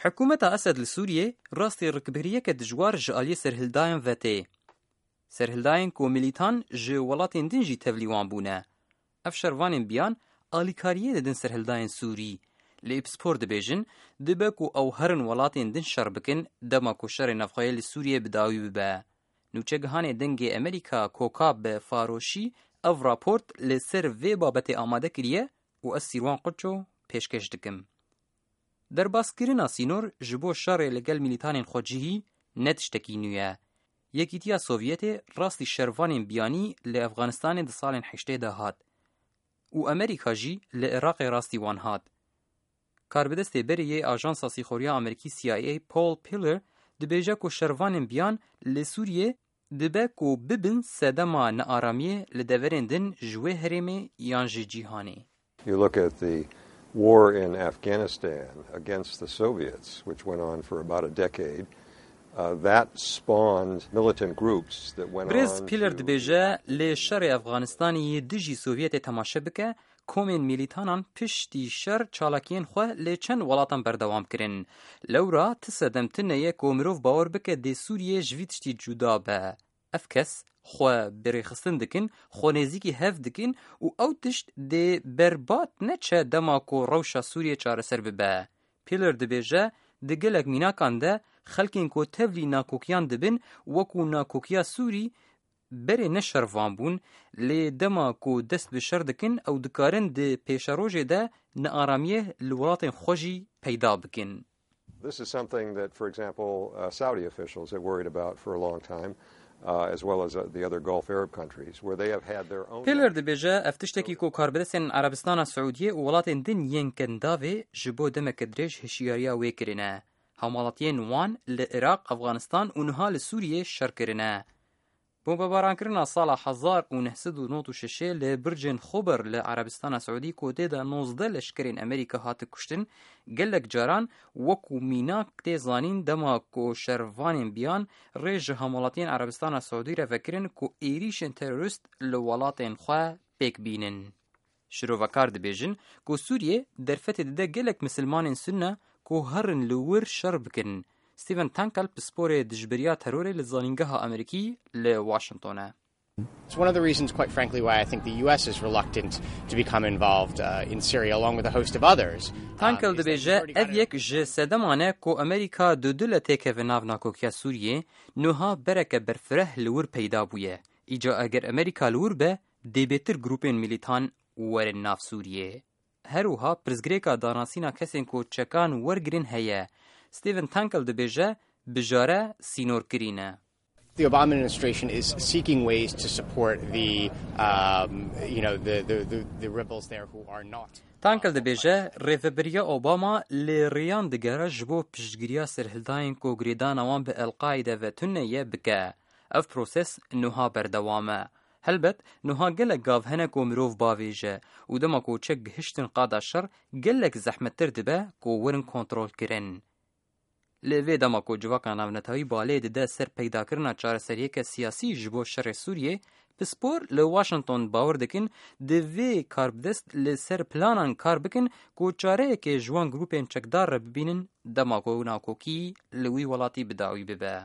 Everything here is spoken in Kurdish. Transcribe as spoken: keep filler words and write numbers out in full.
Hikûmeta Esed li Sûriyê rastî rikbiriyeke dijwar ji aliyê serhildayan ve tê. Serhildayên ku milîtan ji welatên din jî tevlî wan bûne. Ev şervanên biyan alîkariyê didin serhildayên Sûrî. Li Îpspor dibêjin, dibe ku ew herin welatên din şer bikin, dema ku şerê navxweyê li Sûriyê bi dawî bibe. Nûçegihanê Dengê Amerîka Koka bi faroşî ev raport li ser vê babetê amade kiriye û ez Sîrwan Quço pêşkêş dikim. Derbaskirina sînor ji bo şerê li gel milîtanên xwecihî ne tiştekî nû ye. Yekîtiya Sovyetê rastî şervanên biyanî li Efxanistanê di salên heştê de hat û Amerîka jî li Iraqê rastî wan hat. Karbidestê berê yê Ajansa Sîxoriya Amerîkî C I A Paul Pillar dibêje ku şervanên biyan li Sûriyê dibe ku bibin sedema nearamiyê li deverên din ji wê herêmê yan ji cîhanê. You look at the war in Afghanistan against the Soviets, which went on for about a decade. Uh, that spawned militant groups that went Birêz on Piller to dibêje, lê şerê Efxanistanê yê dijî Sovyetê temaşe bike, komên milîtanan piştî şer çalakiyên xwe lê çend welatan berdewam kirin. Lewra ti sedem tune ye ku mirov bawer bike dê Sûriyê ji vî tiştî cuda be. Ev kes xwe bi rêxistin dikin, xwe nêzîkî hev dikin û ew tişt dê berbat neçe dema ku rewşa Sûriyê çareser bibe. Piller dibêje, di gelek mînakan de xelkên ku tevlî nakokiyan dibin, wekû nakokiya Sûrî, berê ne şervan bûn, lê dema ku dest bi şer dikin, ew dikarin di pêşerojê de nearamiyê li welatên xwe jî peyda bikin. This is something that, for example, uh, Saudi officials have worried about for a long time, uh, as well as, uh, the other Gulf Arab countries, where they have had their own Piller dibêje, ev tiştekî ku karbidestên Erebistana Siûdiyê û welatên din yên Kendavê ji bo demeke dirêj hişyariya wê kirine. Hemalatiyên wan li Iraq, Efxanistan û niha li Sûriyê şer kirine. Bombebarankirina sala hezar û neh sed û nod û şeş li bircên Xober li Erebistana Siûdî ku tê de nozdeh leşkerên Amerîka hate kuştin, gelek caran wekû mînak tê zanîn dema ku şervanên biyan rê ji hemalatiyên Erebistana Siûdî re vekirin ku êrîşên terorîst li welatên xwe pêk bînin. Şirovekar dibêjin ku Sûriyê derfetê dide gelek misilmanên Sunne ku herin li wir şer bikin. Stephen Tankel pisporê dijberiya terorê li Zanîngeha Amerîkî li Washington e. It's one of the reasons, quite frankly, why I think the U S is reluctant to become involved uh, in Syria, along with a host of others. Tankel dibêje, ev yek ji sedeman e ku Amerîka dudule têkeve nav nakokiya Sûriyê, nuha bereke berfireh li wir peyda bûye. Îca eger Amerîka li wir be, dê bêtir grûpên milîtan werin nav Sûriyê. Her wiha pirsgirêka danasîna kesên ku çekan wergirin heye. Stephen Tankel dibêje, bijare sînorkirî ne. The Obama administration is seeking ways to support the, um, you know, the, the, the, the rebels there who are not. Tankel dibêje, rêveberiya Obama lê rêyan digere ji bo piştgiriya serhildayên ku girêdana wan bi El-Qaîde ve tune ye bike. Ev proses nuha berdewam e. Helbet, nuha gelek gav hene ku mirov bavêje û dema ku çek gihiştin qada şer, gelek zehmettir dibe ku werin kontrolkirin. Li vê dema ku civaka navnetewî balê dide ser peydakirina çareseriyeke siyasî ji bo şerê Sûriyê, pispor li Washington bawer dikin, di vê karbidest li ser planan kar bikin ku çareyekê ji wan grûpên çekdar re bibînin dema ku nakokî li wî welatî bi dawî bibe.